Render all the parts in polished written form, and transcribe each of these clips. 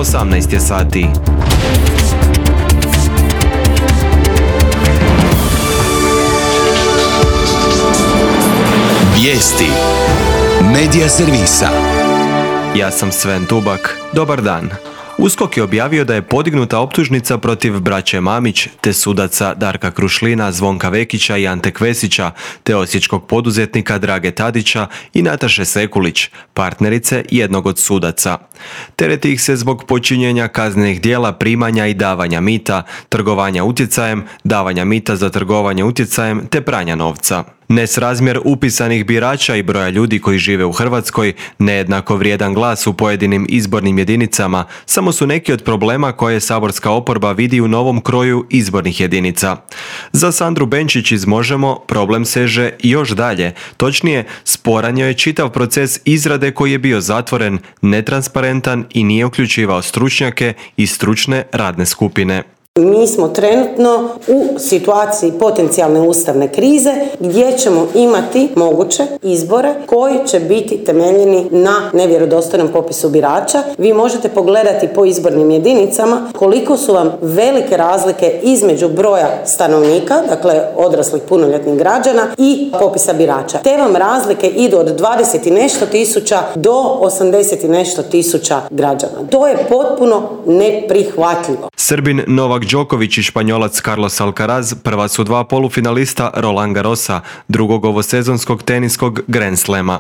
18 je sati. Vijesti Medija servisa. Ja sam Sven Tubak. Dobar dan. USKOK je objavio da je podignuta optužnica protiv braće Mamić, te sudaca Darka Krušlina, Zvonka Vekića i Ante Kvesića, te osječkog poduzetnika Drage Tadića i Nataše Sekulić, partnerice jednog od sudaca. Tereti ih se zbog počinjenja kaznenih djela primanja i davanja mita, trgovanja utjecajem, davanja mita za trgovanje utjecajem te pranja novca. Nesrazmjer upisanih birača i broja ljudi koji žive u Hrvatskoj, nejednako vrijedan glas u pojedinim izbornim jedinicama, samo su neki od problema koje saborska oporba vidi u novom kroju izbornih jedinica. Za Sandru Benčić iz Možemo problem seže još dalje, točnije sporan joj je čitav proces izrade koji je bio zatvoren, netransparentan i nije uključivao stručnjake i stručne radne skupine. Mi smo trenutno u situaciji potencijalne ustavne krize gdje ćemo imati moguće izbore koji će biti temeljeni na nevjerodostojnom popisu birača. Vi možete pogledati po izbornim jedinicama koliko su vam velike razlike između broja stanovnika, dakle odraslih punoljetnih građana i popisa birača. Te vam razlike idu od 20 i nešto tisuća do 80 i nešto tisuća građana. To je potpuno neprihvatljivo. Srbin Novak Đoković i Španjolac Carlos Alcaraz prva su dva polufinalista Roland Garrosa, drugog ovosezonskog teniskog Grand Slama.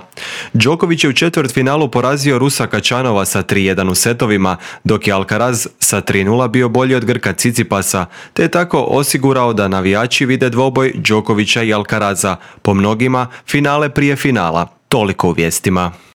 Đoković je u četvrtfinalu porazio Rusa Kačanova sa 3:1 u setovima, dok je Alcaraz sa 3:0 bio bolji od Grka Cicipasa, te je tako osigurao da navijači vide dvoboj Đokovića i Alcaraza, po mnogima finale prije finala. Toliko u vijestima.